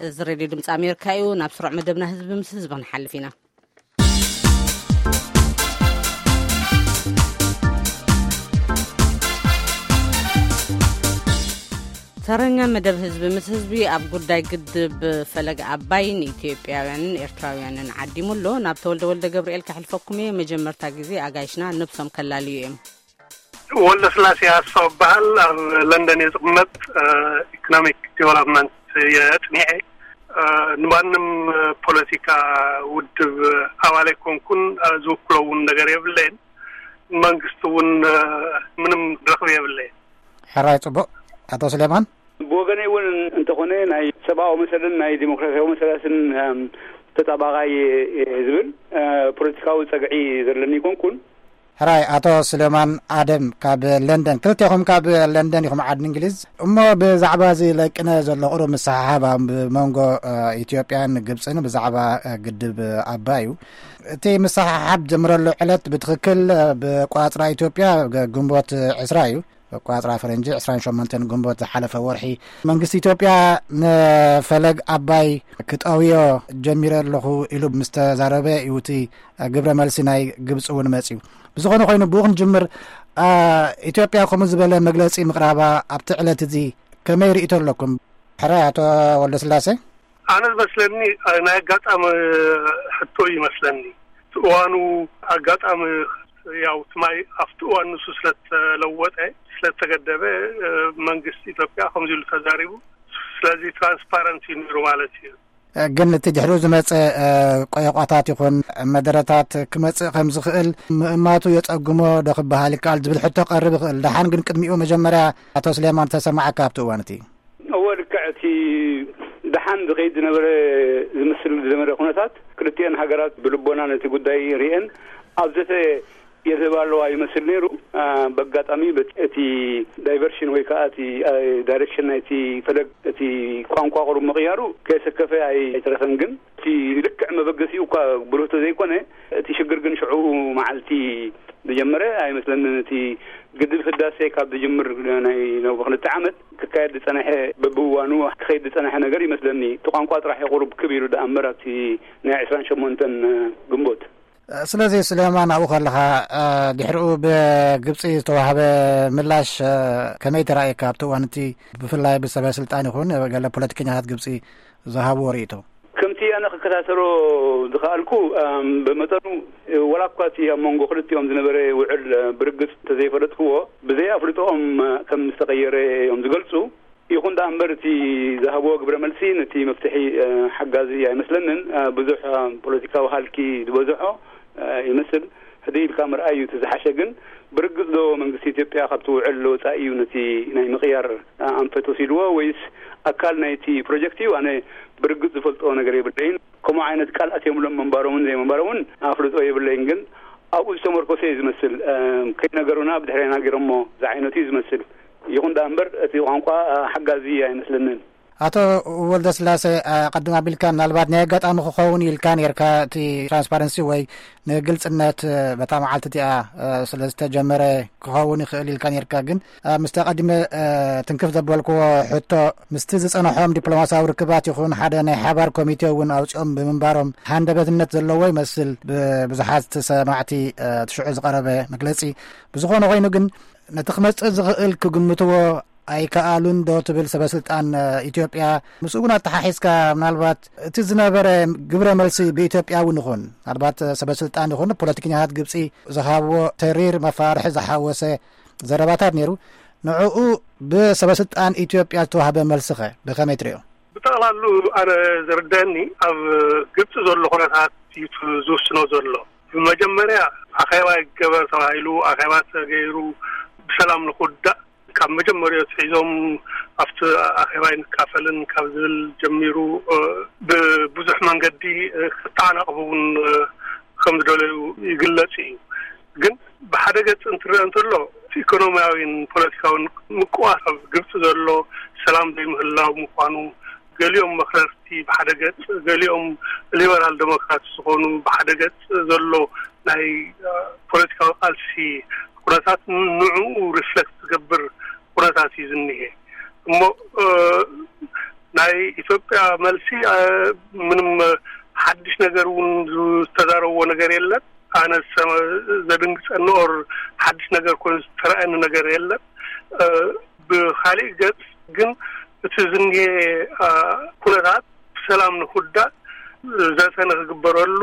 እዚ ሬድዮ ድምፂ ኣሜሪካ እዩ። ናብ ስሩዕ መደብና ህዝቢ ምስ ህዝቢ ክንሓልፍ ኢና። ተረኛ መደብ ህዝቢ ምስ ህዝቢ ኣብ ጉዳይ ግድብ ፈለግ ኣባይ ንኢትዮጵያውያንን ኤርትራውያንን ዓዲሙ ኣሎ። ናብ ተወልደ ወልደ ገብርኤል ከሕልፈኩም እየ። መጀመርታ ግዜ ኣጋይሽና ነብሶም ከላልዩ እዮም። ወልደ ስላሴ ኣስፋው እበሃል። ኣብ ለንደን እየ ዝቕመጥ። ኢኮኖሚክ ዲቨሎፕመንት እየ ኣፅኒዐ። ንማንም ፖለቲካ ውድብ ኣባል ኣይኮንኩን። ዝውክሎ እውን ነገር የብለይን። መንግስቲ እውን ምንም ረኽቢ የብለይን። ሕራይ፣ ጽቡቕ። ኣቶ ስሌማን? ብወገነይ እውን እንተኾነ ናይ ሰብኣዊ መሰልን ናይ ዲሞክራሲያዊ መሰላትን ተጣባቓይ ዝብል ፖለቲካዊ ጸግዒ ዘለኒ ኣይኮንኩን። ሕራይ፣ ኣቶ ስሌማን ኣደም ካብ ለንደን፣ ክልቴኹም ካብ ለንደን ኢኹም፣ ዓዲ እንግሊዝ። እሞ ብዛዕባ እዚ ለቅነ ዘሎ ቁሩብ ምስሕሓብ ኣብ መንጎ ኢትዮጵያን ግብፅን ብዛዕባ ግድብ ኣባይ እዩ። እቲ ምስሕሓብ ጀምረሉ ዕለት ብትኽክል ብቋፅራ ኢትዮጵያ ግንቦት ዕስራ እዩ። ኣቋፅራ ፈረንጂ ዕስራን ሸሞንተን ግንቦት ዝሓለፈ ወርሒ መንግስቲ ኢትዮጵያ ንፈለግ ኣባይ ክጠውዮ ጀሚረ ኣለኹ ኢሉ ምስ ተዛረበ እዩ እቲ ግብረ መልሲ ናይ ግብፂ እውን መፅዩ። ብዝኾነ ኮይኑ ብኡ ክንጅምር። ኢትዮጵያ ከምኡ ዝበለ መግለፂ ምቕራባ ኣብቲ ዕለት እዚ ከመይ ርእይቶ ኣለኩም? ሕራይ ኣቶ ወልደስላሴ። ኣነ ዝመስለኒ ናይ ኣጋጣሚ ሕቶ እዩ ይመስለኒ። እቲ እዋኑ ኣጋጣሚ ያው እቲ ማይ ኣብቲ እዋን ንሱ ስለተለወጠ ስለተገደበ መንግስቲ ኢትዮጵያ ከምዚ ኢሉ ተዛሪቡ። ስለዚ ትራንስፓረንት እዩ ነይሩ ማለት እዩ። ግን እቲ ድሕሪኡ ዝመፀ ቆየቋታት ይኹን መደረታት ክመፅእ ከም ዝኽእል ምእማቱ የፀግሞ ዶ ክበሃል ይከኣል ዝብል ሕቶ ቀርብ ይኽእል። ደሓን ግን ቅድሚኡ መጀመርያ ኣቶ ስሌማን ተሰማዓካ ኣብቲ እዋን እቲ? እወ፣ ልክዕ። እቲ ደሓን ዝኸይድ ዝነበረ ዝምስል ዝነበረ ኩነታት ክልቲኤን ሃገራት ብልቦና ነቲ ጉዳይ ርእየን ኣብ ዘተ የዝህባ ኣለዋ ይመስል ነይሩ። በጋጣሚ እቲ ዳይቨርሽን ወይ ከዓ እቲ ዳይሬክሽን ናይቲ ፈለግ እቲ ቋንቋ ቁሩብ ምቕያሩ ከየሰከፈ ኣይተረፈን። ግን እቲ ልክዕ መበገሲኡ እኳ ብሩህ ተዘይኮነ እቲ ሽግር ግን ሽዑ መዓልቲ ዝጀመረ ኣይመስለንን። እቲ ግድብ ህዳሴ ካብ ዝጅምር ናይ ነብ ክልተ ዓመት ክካየድ ዝፀነሐ በብእዋኑ ክኸይድ ዝፀነሐ ነገር ይመስለኒ። እቲ ቋንቋ ጥራሕ የቑርብ ክብ ኢሉ ደኣ እምበር ኣብቲ ናይ ዕስራን ሸሞንተን ግንቦት። ስለዚ ስሌማን ኣብኡ ከለኻ ድሕሪኡ ብግብፂ ዝተዋህበ ምላሽ ከመይ ተራእየካ ኣብቲ እዋን እቲ ብፍላይ ብሰበ ስልጣን ይኹን ገለ ፖለቲከኛታት ግብፂ ዝሃብዎ ርእይቶ? ከምቲ ኣነ ክከታተሎ ዝኸኣልኩ ብመጠኑ ወላ እኳ እቲ ኣብ መንጎ ክልቲኦም ዝነበረ ውዕል ብርግፅ እንተዘይፈለጥክዎ ብዘይ ኣፍልጦኦም ከም ዝተቐየረ እዮም ዝገልፁ። ይኹን ደኣ እምበር እቲ ዝሃብዎ ግብረ መልሲ ነቲ መፍትሒ ሓጋዚ ኣይመስለንን። ብዙሕ ፖለቲካዊ ሃልኪ ዝበዝሖ ይመስል። ህድእ ኢልካ ምርኣይ እዩ እቲ ዝሓሸ። ግን ብርግፅ ዶ መንግስቲ ኢትዮጵያ ካብቲ ውዕል ወፃኢ እዩ ነቲ ናይ ምቕያር ኣንፈት ወሲድዎ ወይስ ኣካል ናይቲ ፕሮጀክት እዩ? ኣነ ብርግፅ ዝፈልጦ ነገር የብለይን። ከምኡ ዓይነት ቃል ኣትዮምሎም ምንባሮምን ዘይምንባሮምን ኣፍልጦ የብለይን። ግን ኣብኡ ዝተመርኮሰ እዩ ዝመስል። ከይነገሩና ብድሕሬና ገይሮሞ ዝዓይነቱ እዩ ዝመስል። ይኹን ደኣ እምበር እቲ ቋንቋ ሓጋዚ ኣይመስለንን። ኣቶ ወልደስላሴ፣ ቀድም ኣቢልካ ምናልባት ናይ ኣጋጣሚ ክኸውን ኢልካ ነርካ፣ እቲ ትራንስፓረንሲ ወይ ንግልፅነት በታ መዓልቲ እቲኣ ስለ ዝተጀመረ ክኸውን ይኽእል ኢልካ ነርካ። ግን ምስ ተቐዲመ ትንክፍ ዘበልክዎ ሕቶ፣ ምስቲ ዝፀንሖም ዲፕሎማሲያዊ ርክባት ይኹን ሓደ ናይ ሓባር ኮሚቴ እውን ኣውፂኦም ብምንባሮም ሃንደበትነት ዘለዎ ይመስል ብብዙሓት ሰማዕቲ እቲ ሽዑ ዝቐረበ መግለፂ። ብዝኾነ ኮይኑ ግን ነቲ ክመፅእ ዝኽእል ክግምትዎ ኣይከኣሉን ዶ ትብል ሰበ ስልጣን ኢትዮጵያ? ምስኡ እውን ኣተሓሒዝካ ምናልባት እቲ ዝነበረ ግብረ መልሲ ብኢትዮጵያ እውን ይኹን ምናልባት ሰበ ስልጣን ይኹን ፖለቲከኛታት ግብፂ ዝሃብዎ ተሪር መፋርሒ ዝሓወሰ ዘረባታት ነይሩ። ንዕኡ ብሰበ ስልጣን ኢትዮጵያ ዝተዋህበ መልስኸ ብኸመይ ትሪኦ? ብጠቕላሉ ኣነ ዝርደኒ ኣብ ግብፂ ዘሎ ኩነታት እዩ ዝውስኖ ዘሎ። ብመጀመርያ ኣኼባ ይገበር ተባሂሉ፣ ኣኼባ ተገይሩ ብሰላም ንክውዳእ ካብ መጀመሪያ ኣትሒዞም ኣብቲ ኣኼባ ይንካፈልን ካብ ዝብል ጀሚሩ ብብዙሕ መንገዲ ክተዓናቕፉ እውን ከም ዝደለዩ ይግለጽ እዩ። ግን ብሓደ ገጽ እንትረአ እንተሎ እቲ ኢኮኖሚያዊን ፖለቲካዊን ምቅዋስ ኣብ ግብፂ ዘሎ ሰላም ዘይምህላው ምዃኑ፣ ገሊኦም መክረርቲ ብሓደ ገጽ፣ ገሊኦም ሊበራል ዴሞክራት ዝኾኑ ብሓደ ገጽ ዘሎ ናይ ፖለቲካዊ ቃልሲ ኩነታት ንዕኡ ሪፍሌክት ዝገብር ኩነታት እዩ ዝኒሄ። እሞ ናይ ኢትዮጵያ መልሲ፣ እ፣ ምንም፣ እ፣ ሓድሽ ነገር እውን ዝተዛረብዎ ነገር የለን። ኣነ ዝሰመ-፣ ዘደንግጸኒ ኦር ሓድሽ ነገር ኮይኑ ዝተረኣየኒ ነገር የለን። እ፣ ብኻሊእ ገጽ ግን እቲ ዝንሄ፣ እ፣ ኩነታት ብሰላም ንክውዳእ ዘተ ንክግበረሉ፣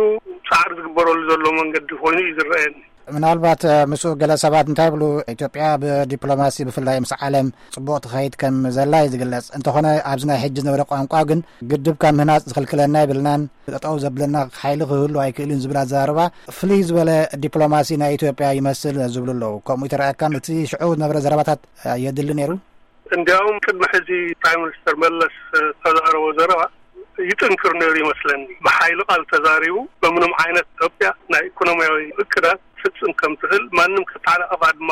ጻዕሪ ዝግበረሉ ዘሎ መንገዲ ኮይኑ እዩ ዝረኣየኒ። ምናልባት፣ እ፣ ምስኡ ገለ ሰባት እንታይ ይብሉ፣ ኢትዮጵያ ብዲፕሎማሲ ብፍላይ ምስ ዓለም ጽቡቕ ትኸይድ ከም ዘላ እዩ ዝግለጽ። እንተኾነ ኣብዚ ናይ ሕጂ ዝነበረ ቋንቋ ግን ግድብ ካብ ምህናጽ ዝኽልክለና የብልናን፣ ጠጠው ዘብለና ሓይሊ ክህሉ ኣይክእልን ዝብል ኣዘራርባ ፍልይ ዝበለ ዲፕሎማሲ ናይ ኢትዮጵያ ይመስል ዝብሉ ኣለዉ። ከምኡ ይተረኣየካን? እቲ ሽዑ ዝነበረ ዘረባታት፣ እ፣ የድሊ ነይሩ? እንዲያውም ቅድሚ ሕዚ ፕራይም ሚኒስተር መለስ ዝተዛረቦ ዘረባ ይጥንክር ነይሩ ይመስለኒ። ብሓይሊ ቃል ተዛሪቡ በምንም ዓይነት ኢትዮጵያ ናይ ኢኮኖሚያዊ እቅዳት ፍጽም ከም ትኽእል፣ ማንም ከተዓናቕፋ ድማ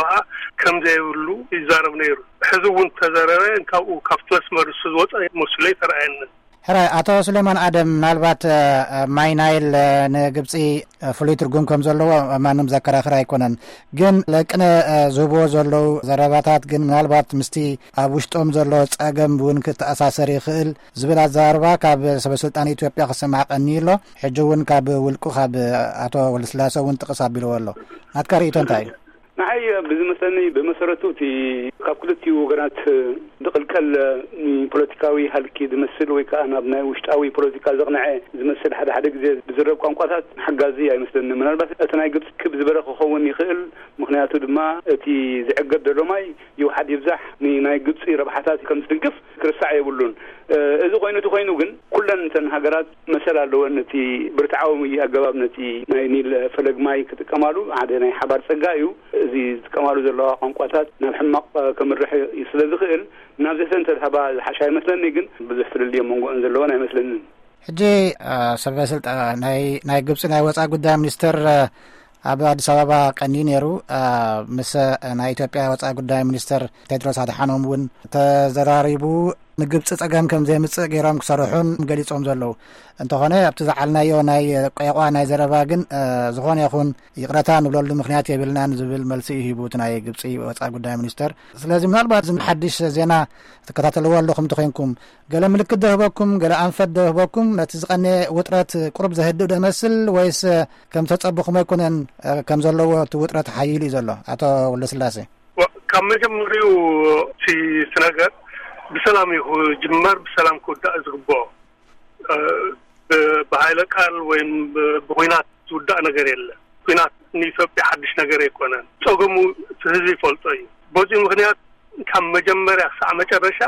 ከም ዘይብሉ ይዛረብ ነይሩ። ሕዚ እውን ተዘረበ ካብኡ ካብቲ መስመር እሱ ዝወፀ መስሎ ይተረኣየኒ። ሕራይ፣ ኣቶ ሱሌማን ኣደም፣ ምናልባት፣ እ፣ ማይ ናይል፣ እ፣ ንግብፂ፣ እ፣ ፍሉይ ትርጉም ከም ዘለዎ ማንም ዘከራኽር ኣይኮነን። ግን ለቅነ፣ እ፣ ዝህብዎ ዘለዉ ዘረባታት ግን ምናልባት ምስቲ ኣብ ውሽጦም ዘሎ ጸገም እውን ክተኣሳሰር ይኽእል ዝብል ኣዘራርባ ካብ ሰበ ስልጣን ኢትዮጵያ ክስማዕ ቀንዩ ኣሎ። ሕጂ እውን ካብ ውልቁ ካብ ኣቶ ወልደስላሴ እውን ጥቕስ ኣቢልዎ ኣሎ። ናትካ ርእይቶ እንታይ እዩ? ንዓይ ብዝመስለኒ ብመሰረቱ እቲ ካብ ክልቲኡ ወገናት ዝቕልቀል፣ እ፣ ፖለቲካዊ ሃልኪ ዝመስል ወይ ከዓ ናብ ናይ ውሽጣዊ ፖለቲካ ዘቕንዐ ዝመስል ሓደ ሓደ ግዜ ብዝረብ ቋንቋታት ሓጋዚ ኣይመስለኒ። ምናልባት እቲ ናይ ግብፂ ክብ ዝበለ ክኸውን ይኽእል። ምኽንያቱ ድማ እቲ ዝዕገት ዘሎ ማይ ይውሓድ ይብዛሕ ንናይ ግብፂ ረብሓታት ከም ዝድግፍ ክርሳዕ የብሉን። እ፣ እዚ ኮይኑ እቲ ኮይኑ ግን ኩለን እተን ሃገራት መሰል ኣለወን። እቲ ብርትዓዊ ኣገባብ ነቲ ናይ ኒል ፈለግ ማይ ክጥቀማሉ ሓደ ናይ ሓባር ጸጋ እዩ። እዚ ዝጥቀማሉ ዘለዋ ቋንቋታት ናብ ሕማቕ ከምርሕ እዩ ስለ ዝኽእል፣ ናብዚአተን ተድሃባ ዝሓሻ ይመስለኒ። ግን ብዙሕ ፍልልይ ኣብ መንጎአን ዘለወን ኣይመስለንን። ሕጂ፣ እ፣ ሰበ ስልጣ-፣ ናይ፣ ናይ ግብፂ ናይ ወፃኢ ጉዳይ ሚኒስትር፣ እ፣ ኣብ ኣዲስ ኣበባ ቀንዩ ነይሩ። እ፣ ምስ ናይ ኢትዮጵያ ወፃኢ ጉዳይ ሚኒስትር ቴድሮስ ኣድሓኖም እውን ተዘራሪቡ። ንግብፂ ጸገም ከም ዘየምፅእ ገይሮም ክሰርሑን ገሊጾም ዘለዉ። እንተኾነ ኣብቲ ዝዓልናዮ ናይ ቆይቋ ናይ ዘረባ ግን፣ እ፣ ዝኾነ ይኹን ይቕረታ ንብለሉ ምኽንያት የብልናን ዝብል መልሲ እዩ ሂቡ እቲ ናይ ግብፂ ወፃኢ ጉዳይ ሚኒስተር። ስለዚ ምናልባት እዚ ሓድሽ ዜና ትከታተልዎ ኣለኹም እንተኾይንኩም፣ ገለ ምልክት ዶ ህበኩም፣ ገለ ኣንፈት ዶ ህበኩም፣ ነቲ ዝቐነየ ውጥረት ቁሩብ ዘህድእ ዶ ይመስል ወይስ ከም ተጸበኹም ኣይኮነን፣ እ፣ ከም ዘለዎ እቲ ውጥረት ሓይሉ እዩ ዘሎ? ኣቶ ወልደስላሴ። ዋ-፣ ካብ መጀመሪኡ እቲ፣ እቲ ነገር ብሰላም እዩ ክጅመር፣ ብሰላም ክውዳእ ዝግብኦ። እ፣ ብ-፣ ብሃይለ ቃል ወይም ብ-፣ ብኹናት ዝውዳእ ነገር የለን። ኲናት ንኢትዮጵያ ሓድሽ ነገር ኣይኮነን። ጸገሙ እቲ ህዝቢ ይፈልጦ እዩ። በዚ ምኽንያት ካብ መጀመርያ ክሳዕ መጨረሻ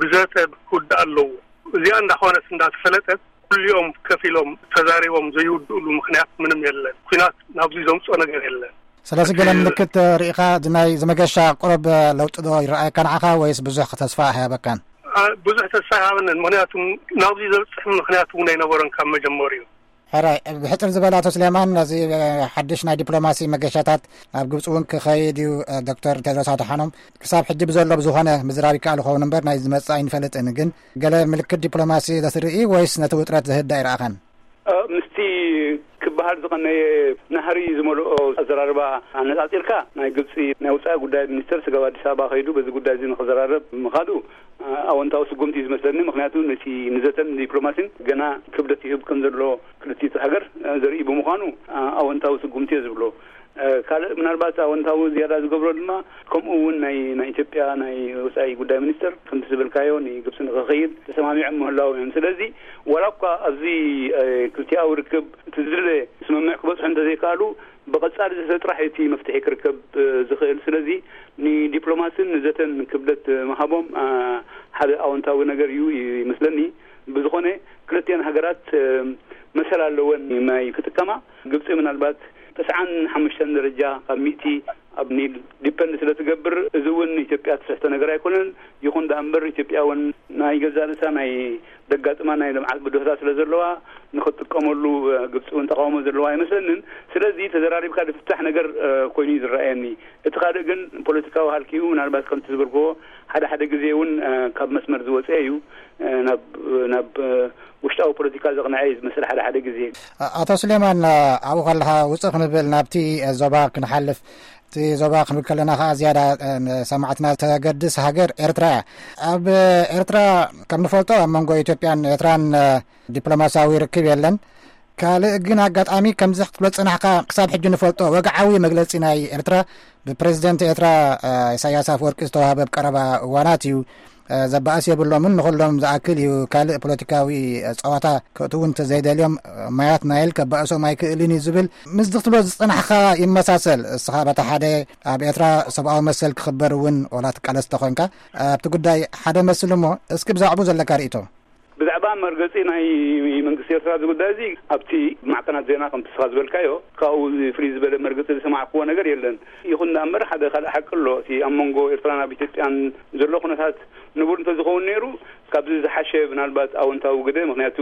ብዘተ ክውዳእ ኣለዎ። እዚኣ እንዳኾነት እንዳተፈለጠት ኩሊኦም ከፊሎም ተዛሪቦም ዘይውድእሉ ምኽንያት ምንም የለን። ኲናት ናብዚ ዘምፅኦ ነገር የለን። ስለዚ ገለ እቲ ምልክት ርኢኻ፣ እዚ ናይ ዝመገሻ ቁሩብ ለውጢ ዶ ይረኣየካ ንዓኻ ወይስ ብዙሕ ተስፋ ኣይሃበካን? አ፣ ብዙሕ ተስፋ ኣይሃበንን። ምኽንያቱ ናብዚ ዘብፅሕ ምኽንያት እውን ኣይነበሮን ካብ መጀመሪኡ። ሕራይ፣ ብሕፅር ዝበለ ኣቶ ስሌማን፣ ነዚ፣ እ፣ ሓድሽ ናይ ዲፕሎማሲ መገሻታት ናብ ግብፂ እውን ክኸይድ እዩ፣ እ፣ ዶክተር ቴድሮስ ኣድሓኖም። ክሳብ ሕጂ ብዘሎ ብዝኾነ ምዝራብ ይከኣል ይኸውን እምበር ናይ ዝመፅእ ኣይንፈልጥን። ግን ገለ ምልክት ዲፕሎማሲ ዘትርኢ ወይስ ነቲ ውጥረት ዘህድእ ኣይረኣኻን? እ፣ ምስቲ ክበሃል ዝቐነየ ናህሪ ዝመልኦ ኣዘራርባ ኣነጻጺርካ፣ ናይ ግብጺ ናይ ወጻኢ ጉዳይ ሚኒስተር ስጋብ ኣዲስ ኣበባ ከይዱ በዚ ጉዳይ እዚ ንኽዘራረብ ምኻዱ፣ እ፣ ኣወንታዊ ስጉምቲ እዩ ዝመስለኒ። ምኽንያቱ ነቲ ንዘተን ዲፕሎማሲን ገና ክብደት ይህብ ከም ዘሎ ክልቲቱ ሃገር፣ እ፣ ዘርኢ ብምዃኑ፣ እ፣ ኣወንታዊ ስጉምቲ እየ ዝብሎ። እ፣ ካልእ ምናልባት ኣወንታዊ ዝያዳ ዝገብሮ ድማ፣ ከምኡ እውን ናይ፣ ናይ ኢትዮጵያ ናይ ወጻኢ ጉዳይ ሚኒስተር ከምቲ ዝበልካዮ ንግብጺ ንኽኸይድ ተሰማሚዖም ምህላዎም እዮም። ስለዚ ዋላ እኳ ኣብዚ፣ እ፣ ክልቲኣዊ ርክብ እቲ ዝድለ ስምምዕ ክበጽሑ እንተዘይከኣሉ፣ ብቐጻሊ ዘተ ጥራሕ እቲ መፍትሒ ክርከብ፣ እ፣ ዝኽእል። ስለዚ ንዲፕሎማስን ንዘተን ክብደት ምሃቦም፣ እ፣ ሓደ ኣወንታዊ ነገር እዩ ይመስለኒ። ብዝኾነ ክልቲኣን ሃገራት፣ እ፣ መሰል ኣለወን ማይ ክጥቀማ። ግብጺ ምናልባት ተስዓን ሓሙሽተን ደረጃ ካብ ሚእቲ ኣብ ኒል ዲፐንድ ስለ ትገብር፣ እዚ እውን ኢትዮጵያ ትስሕቶ ነገር ኣይኮነን። ይኹን ደኣ እምበር ኢትዮጵያ እውን ናይ ገዛእ ርእሳ ናይ ደጋጥማ ናይ ልምዓት ብድሆታት ስለ ዘለዋ ንኽትጥቀመሉ፣ እ፣ ግብጺ እውን ተቃውሞ ዘለዋ ኣይመስለንን። ስለዚ ተዘራሪብካ ዝፍታሕ ነገር፣ እ፣ ኮይኑ እዩ ዝረኣየኒ። እቲ ካልእ ግን ፖለቲካዊ ሃልኪኡ ምናልባት ከምቲ ዝበልክዎ ሓደ ሓደ ግዜ እውን፣ እ፣ ካብ መስመር ዝወፀ እዩ፣ እ፣ ናብ፣ ናብ፣ እ፣ ውሽጣዊ ፖለቲካ ዘቕንዐ እዩ ዝመስል ሓደ ሓደ ግዜ። ኣቶ ስሌማን፣ ኣብኡ ከለኻ ውፅእ ክንብል ናብቲ ዞባ ክንሓልፍ፣ እቲ ዞባ ክንብል ከለና ከዓ ዝያዳ ንሰማዕትና ተገድስ ሃገር ኤርትራ እያ። ኣብ ኤርትራ ከም ንፈልጦ ኣብ መንጎ ኢትዮጵያን ኤርትራን ዲፕሎማሲያዊ ርክብ የለን። ካልእ ግን ኣጋጣሚ ከምዚ ክትብሎ ዝጸናሕካ ክሳብ ሕጂ ንፈልጦ ወግዓዊ መግለጺ ናይ ኤርትራ ብፕሬዚደንት ኤርትራ ኢሳያስ ኣፈወርቂ ዝተዋህበ ኣብ ቀረባ እዋናት እዩ። ዘባእስ የብሎምን፣ ንኹሎም ዝኣክል እዩ። ካልእ ፖለቲካዊ ጸዋታ ክእትዉ እንተዘይደልዮም ማያት ናይል ከባእሶም ኣይክእልን እዩ ዝብል ምስዚ ክትብሎ ዝጸናሕካ ይመሳሰል። እስኻ በታ ሓደ ኣብ ኤርትራ ሰብኣዊ መሰል ክኽበር እውን ዋላ ትቃለስ ተኾንካ ኣብቲ ጉዳይ ሓደ መስል እሞ እስኪ ብዛዕባኡ ዘለካ ርእይቶ። ብዛዕባ መርገጺ ናይ መንግስቲ ኤርትራ እዚ ጉዳይ እዚ ኣብቲ ማዕከናት ዜና ከምቲ ንስኻ ዝበልካዮ ካብኡ ፍልይ ዝበለ መርገጺ ዝሰማዕክዎ ነገር የለን። ይኹን ደኣ እምበር ሓደ ካልእ ሓቂ ኣሎ። እቲ ኣብ መንጎ ኤርትራን ኣብ ኢትዮጵያን ዘሎ ኩነታት ንቡር እንተዝኸውን ነይሩ ካብዚ ዝሓሸ ምናልባት ኣወንታዊ ግደ፣ ምኽንያቱ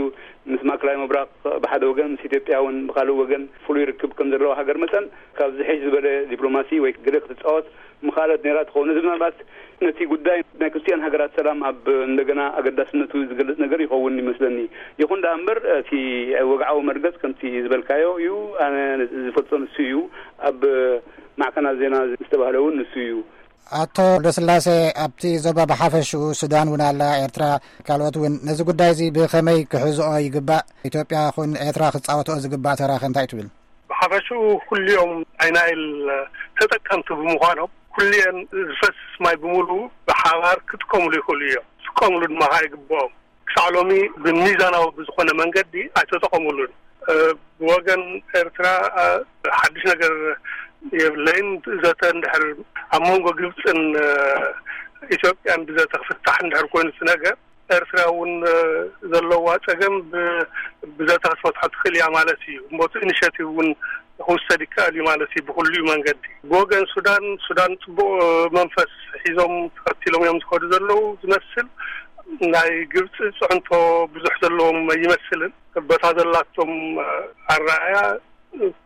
ምስ ማእከላይ ምብራቕ ብሓደ ወገን ምስ ኢትዮጵያ እውን ብኻልእ ወገን ፍሉይ ርክብ ከም ዘለዎ ሃገር መጠን ካብ ዝሕሽ ዝበለ ዲፕሎማሲ ወይ ግደ ክትጻወት ምኻለት ነይራ ትኸውን። እዚ ምናልባት ነቲ ጉዳይ ናይ ክልቲኣን ሃገራት ሰላም ኣብ እንደገና ኣገዳስነቱ ዝገልጽ ነገር ይኸውን ይመስለኒ። ይኹን ደኣ እምበር እቲ ወግዓዊ መርገጽ ከምቲ ዝበልካዮ እዩ። ኣነ ዝፈልጦ ንሱ እዩ። ኣብ ማዕከናት ዜና ዝተባህለ እውን ንሱ እዩ። ኣቶ ወልደስላሴ፣ ኣብቲ ዞባ ብሓፈሽኡ ሱዳን እውን ኣላ፣ ኤርትራ፣ ካልኦት እውን ነዚ ጉዳይ እዚ ብኸመይ ክሕዝኦ ይግባእ? ኢትዮጵያ ኹን ኤርትራ ክጻወትኦ ዝግባእ ተራኸ እንታይ ትብል? ብሓፈሽኡ ኩሊኦም ናይ ናይል ተጠቀምቲ ብምዃኖም ኩሊኤን ዝፈስስ ማይ ብምሉኡ ብሓባር ክጥቀምሉ ይኽእሉ እዮም። ክጥቀምሉ ድማ ከዓ ይግብኦም። ክሳዕ ሎሚ ብሚዛናዊ ብዝኾነ መንገዲ ኣይተጠቐምሉን። ብወገን ኤርትራ ሓድሽ ነገር የብለይን። ዘተ እንድሕር ኣብ መንጎ ግብፅን ኢትዮጵያን ብዘተ ክፍታሕ እንድሕር ኮይኑ እቲ ነገር ኤርትራ እውን ዘለዋ ፀገም ብዘተ ክትፈትሖ ትኽእል እያ ማለት እዩ። እሞ እቲ ኢኒሽቲቭ እውን ክውሰድ ይከኣል እዩ ማለት እዩ ብኩሉ መንገዲ። ብወገን ሱዳን ሱዳን ፅቡቕ መንፈስ ሒዞም ተኸቲሎም እዮም ዝኸዱ ዘለዉ ዝመስል። ናይ ግብፂ ፅዕንቶ ብዙሕ ዘለዎም ኣይመስልን። በታ ዘላቶም ኣረኣእያ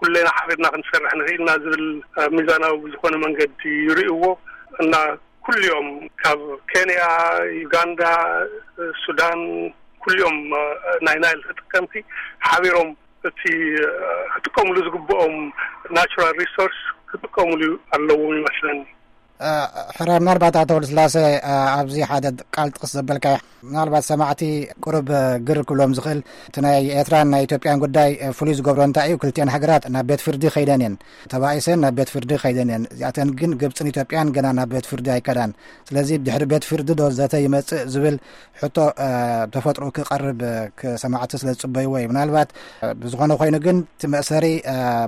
ኩሌና ሓቢርና ክንሰርሕ ንኽእልና ዝብል ሚዛናዊ ብዝኾነ መንገዲ ይርእይዎ እና ኩሊኦም ካብ ኬንያ፣ ዩጋንዳ፣ ሱዳን ኩሊኦም ናይ ናይል ተጠቀምቲ ሓቢሮም እቲ ክጥቀምሉ ዝግብኦም ናቹራል ሪሶርስ ክጥቀምሉ ኣለዎም ይመስለኒ። ሕረ ምናልባት ኣቶ ወልስላሴ ኣብዚ ሓደ ቃል ጥቕስ ዘበልካ ምናልባት ሰማዕቲ ቁርብ ግር ክብሎም ዝኽእል እቲ ናይ ኤርትራን ናይ ኢትዮጵያን ጉዳይ ፍሉይ ዝገብሮ እንታይ እዩ? ክልቲኣን ሃገራት ናብ ቤት ፍርዲ ከይደን እየን፣ ተባኢሰን ናብ ቤት ፍርዲ ከይደን እየን። እዚኣተን ግን ግብፅን ኢትዮጵያን ገና ናብ ቤት ፍርዲ ኣይከዳን። ስለዚ ድሕሪ ቤት ፍርዲ ዶ ዘተ ይመፅእ ዝብል ሕቶ ተፈጥሮ ክቐርብ ክሰማዕቲ ስለ ዝፅበይዎ እዩ። ምናልባት ብዝኾነ ኮይኑ ግን እቲ መእሰሪ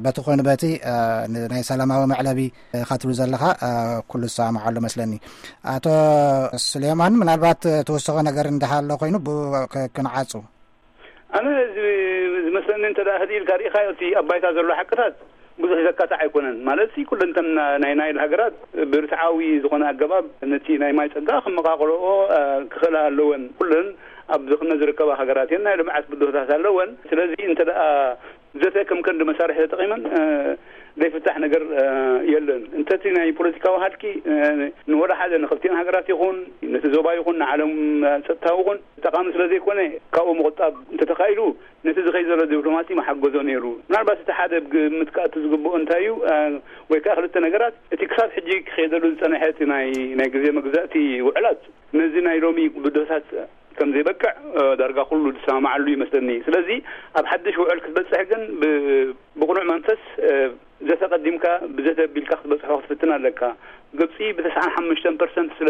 በቲ ኮይኑ በቲ ናይ ሰላማዊ መዕለቢ ኢኻ ትብል ዘለኻ ኩሉ ዝሰማማዓሉ መስለኒ። ኣቶ ስሌማን ምናልባት ትውስኾ ነገር እንዳሃሎ ኮይኑ ብኡ ክ- ክንዓጹ። ኣነ እዚ ዝመስለኒ እንተ ደኣ ህድእ ኢልካ ርኢኻዮ እቲ ኣብ ባይታ ዘሎ ሓቅታት ብዙሕ ዘካትዕ ኣይኮነን። ማለት ሲ ኩለንተን ናይ ናይል ሃገራት ብርትዓዊ ዝኾነ ኣገባብ ነቲ ናይ ማይ ጸጋ ክመቓቕለኦ ክኽእላ ኣለወን። ኩለን ኣብ ዝኽነ ዝርከባ ሃገራት እየን ናይ ልምዓት ብድሆታት ኣለወን። ስለዚ እንተ ደኣ ዘተ ከም ቀንዲ መሳርሒ ተጠቒመን ዘይፍታሕ ነገር የለን። እንተቲ ናይ ፖለቲካዊ ሃልኪ ንወላ ሓደ ንክልቲኦን ሃገራት ይኹን ነቲ ዞባ ይኹን ንዓለም ጸጥታዊ ይኹን ጠቓሚ ስለ ዘይኮነ ካብኡ ምቑጣብ እንተተኻኢሉ ነቲ ዝኸይ ዘሎ ዲፕሎማሲ መሓገዞ ነይሩ። ምናልባት እቲ ሓደ ግምት ክኣቱ ዝግብኦ እንታይ እዩ ወይ ከዓ ክልተ ነገራት እቲ ክሳብ ሕጂ ክኸይደሉ ዝጸንሐ እቲ ናይ ናይ ግዜ መግዛእቲ ውዕላት ነዚ ናይ ሎሚ ብድሆታት ከም ዘይበቅዕ ዳርጋ ኩሉ ዝሰማማዓሉ ይመስለኒ። ስለዚ ኣብ ሓድሽ ውዕል ክትበጽሕ ግን ብቕኑዕ መንፈስ ዘተ ቀዲምካ ብዘተ ኣቢልካ ክትበጽሖ ክትፍትን ኣለካ። ግብጺ ብ95% ስለ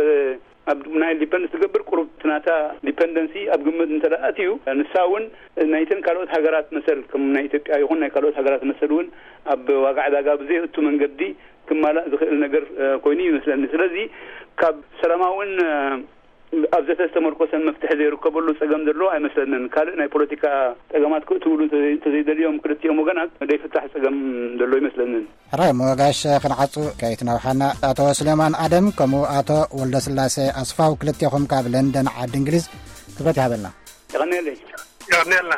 ኣብ ናይል ዲፐንድ ትገብር ቁሩብ እቲ ናታ ዲፐንደንሲ ኣብ ግምት እንተ ኣትዩ ንሳ እውን ናይተን ካልኦት ሃገራት መሰል ከም ናይ ኢትዮጵያ ይኹን ናይ ካልኦት ሃገራት መሰል እውን ኣብ ዋጋ ዕዳጋ ብዘየእቱ መንገዲ ክማላእ ዝኽእል ነገር ኮይኑ ይመስለኒ። ስለዚ ካብ ሰላማውን ኣብ ዘተ ዝተመርኮሰን መፍትሒ ዘይርከበሉ ጸገም ዘሎ ኣይመስለንን። ካልእ ናይ ፖለቲካ ጸገማት ክእትውሉ እንተዘይደልዮም ክልቲኦም ወገናት ዘይፍታሕ ጸገም ዘሎ ኣይመስለንን። ሕራይ እሞ ጋሽ ክንዓጹ ከይትነውሓና ኣቶ ስሌማን ኣደም ከምኡ ኣቶ ወልደስላሴ ኣስፋው ክልቴኹም ካብ ለንደን ዓዲ እንግሊዝ ክብረት ይሃበልና። የቐንየለይ። የቐንየልና።